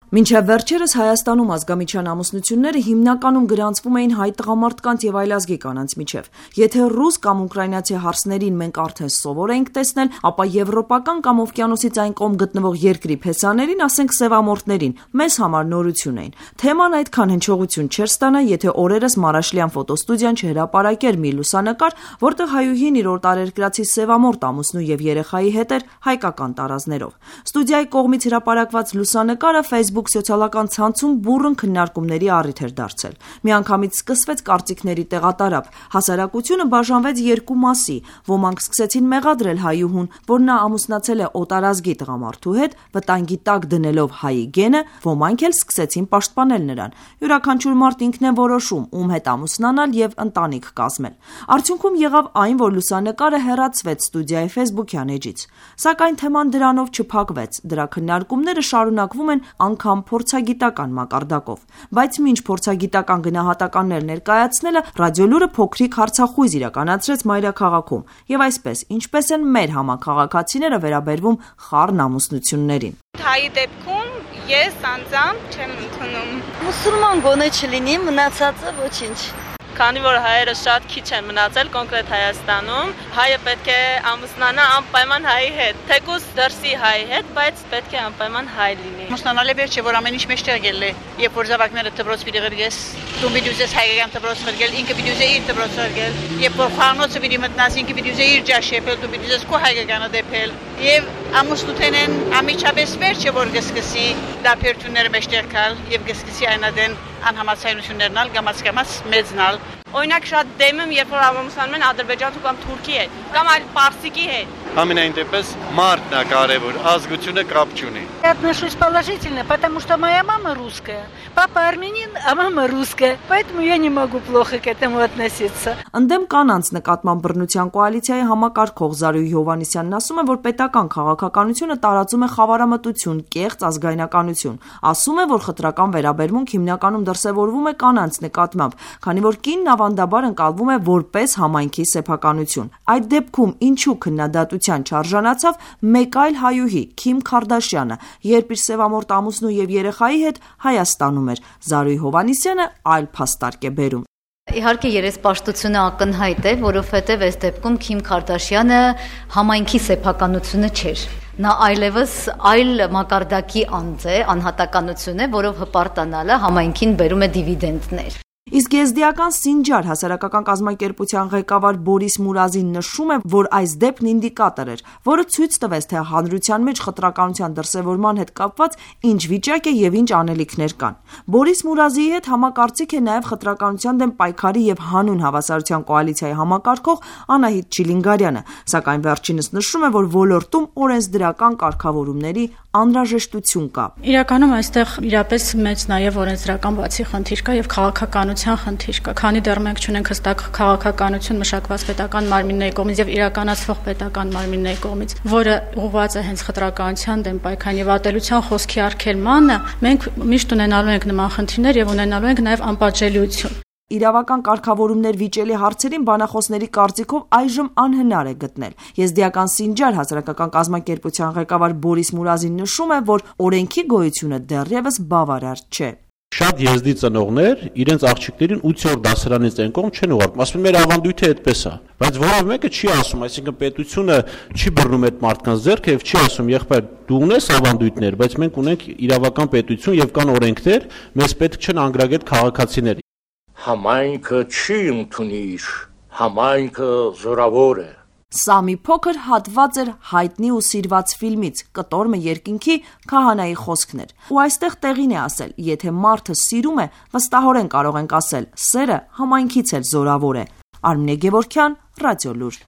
Մինչև վերջերս Հայաստանում ազգամիջյան ամուսնությունները հիմնականում գրանցվում էին հայ տղամարդկանց և այլազգի կանանց միջև։ Եթե ռուս կամ ուկրաինացի հարսներին մենք արդեն սովոր էինք տեսնել, ապա եվրոպական կամ օվկիանոսից այն կողմ գտնվող երկրի փեսաներին, ասենք սևամորթներին, մեզ համար նորություն էին։ Թեման այդքան հնչողություն չէր ստանա, եթե օրերս Մարաշլյան ֆոտոստուդիան չհրապարակեր մի լուսանկար, որտեղ հայուհին իր օտարերկրացի սևամորթ ամուսնու և երեխայի հետ էր հայկական տարազներով։ Ստուդիայի կողմից հրապարակված լուսանկարը Facebook սոցիալական ցանցում բուռն քննարկումների առիթ էր դարձել։ Միանգամից սկսվեց կարծիքների տեղատարափ։ Հասարակությունը բաժանվեց երկու մասի։ Ոմանք սկսեցին մեղադրել հայուհուն, որ նա ամուսնացել է օտարազգի տղամարդու հետ, վտանգի տակ դնելով հայի գենը, ոմանք էլ սկսեցին պաշտպանել նրան։ Յուրաքանչյուր մարդ ինքն է որոշում, ում հետ ամուսնանալ և ընտանիք կազմել։ Արդյունքում եղավ այն, որ լուսանկարը հեռացվեց ստուդիայի Facebook-յան էջից։ Սակայն թեման դրանով չփակվեց։ Դրա քննարկումները շարունակվում են անգամ փորձագիտական մակարդակով։ Բայց մինչ փորձագիտական գնահատականներ ներկայացնելը Ռադիոլուրը փոքրիկ հարցախույզ իրականացրեց մայրաքաղաքում։ Եվ այսպես, ինչպես են մեր համաքաղաքացիները վերաբերվում խառն ամուսնություններին։ Հայի դեպքում ես անձամբ չեմ ընդունում։ Մուսուլման գոնե չլինի, մնացածը ոչինչ։ Քանի որ հայերը շատ քիչ են մնացել կոնկրետ Հայաստանում, հայը պետք է ամուսնանա անպայման հայի հետ, թեկուզ դրսի հայի հետ, բայց պետք է անպայման հայ լինի։ Ամուսնանալը վերջ է, որ ամեն ինչ մեջտեղ ելնի, երբ որ զավակները դպրոց պիտի գրգես, դու պիտի ուզես հայկական դպրոց գրգել, ինքը պիտի ուզե իր դպրոց գրգել, երբ որ խառնոցը պիտի մտնաս, ինքը պիտի ուզե իր ջաշ եփել, դու պիտի ուզես քո հայկականը դեպել, եւ ամուսնութենեն ամիջապես վերջ է, որ գսկսի դապերտունները մեջտեղ գալ եւ գսկսի այնադեն անհամացայություններն ալ գամած մեծնալ։ Օրինակ շատ դեմ եմ, երբ որ ամուսնանում են ադրբեջանցու կամ թուրքի հետ, կամ այլ պարսիկի հետ։ Ամենայն դեպս մարդն է կարևոր, ազգությունը կապ չունի։ Я отношусь положительно, потому что моя мама русская, папа армянин, а мама русская, поэтому я не могу плохо к этому относиться. Ընդդեմ կանանց նկատմամբ բռնության կոալիցիայի համակարգող Զարուհի Հովհաննիսյանն ասում է, որ պետական քաղաքականությունը տարածում է խավարամտություն, կեղծ ազգայնականություն։ Ասում է, որ խտրական վերաբերմունք հիմնականում դրսևորվում է կանանց նկատմամբ, քանի որ կինն ավանդաբար ընկալվում է որպես համայնքի սեփականություն։ Այդ դեպքում ինչու քննադատության չարժանացավ մեկ այլ հայուհի՝ Քիմ Քարդաշյանը, երբ իր սևամորթ ամուսնու և երեխայի հետ Հայաստանում էր։ Զարուհի Հովհաննիսյանը այլ փաստարկ է բերում։ Իհարկե երեսպաշտությունը ակնհայտ է, որովհետև այս դեպքում Քիմ Քարդաշյանը համայնքի սեփականությունը չէր։ Նա այլևս այլ մակարդակի անձ է, անհատականություն է, որով հպարտանալը համայնքին բերում է դիվիդենդներ։ Իսկ եզդիական Սինջար հասարակական կազմակերպության ղեկավար Բորիս Մուրազին նշում է, որ այս դեպքն ինդիկատոր էր, որը ցույց տվեց, թե հանրության մեջ խտրականության դրսևորման հետ կապված ինչ վիճակ է եւ ինչ անելիքներ կան։ Բորիս Մուրազիի հետ համակարծիք է նաեւ խտրականության դեմ պայքարի եւ հանուն հավասարության կոալիցիայի համակարգող Անահիտ Չիլինգարյանը, սակայն վերջինս նշում է, որ ոլորտում օրենսդրական կարգավորումների անհրաժեշտություն կա։ Իրականում այստեղ իրապես մեծ նաեւ օրենսդրական բացի խնդիր կա եւ քաղաքականության խնդիր կա, քանի դեռ մենք չունենք հստակ քաղաքականություն մշակված պետական մարմինների կողմից եւ իրականացվող պետական մարմինների կողմից, որը ուղղված է հենց խտրականության դեմ պայքարին եւ ատելության խոսքի արգելմանը, մենք միշտ ունենալու ենք նման խնդիրներ եւ ունենալու ենք նաեւ անպատժելիություն։ Իրավական կարգավորումներ վիճելի հարցերին բանախոսների կարծիքով այժմ անհնար է գտնել։ Եզդիական Սինջար հասարակական կազմակերպության ղեկավար Բորիս Մուրազին նշում է, որ օրենքի գոյությունը դեռևս բավարար չէ։ Շատ եզդի ծնողներ իրենց աղջիկներին 8-րդ դասարանից այն կողմ չեն ուղարկում, ասում են մեր ավանդույթը այդպես է, բայց որով մեկը չի ասում, այսինքն պետությունը չի բռնում այդ մարդկանց ձեռքը եւ չի ասում եղբայր դու ունես ավանդույթներ, բայց մենք ունենք իրավական պետություն եւ կան օրենքներ, մեզ պետք չեն անգրագետ քաղաքացիներ։ Համայնքը չի ընդունիր, համայնքը զորավոր է։ Սա մի փոքր հատված էր հայտնի ու սիրված ֆիլմից «Կտոր երկինքի» քահանայի խոսքներ։ Ու այստեղ տեղին է ասել, եթե մարդը սիրում է, վստահորեն կարող ենք ասել, սերը համայնքից էլ զորավոր է։ Արմինե Գևորգյան, Ռադիոլուր։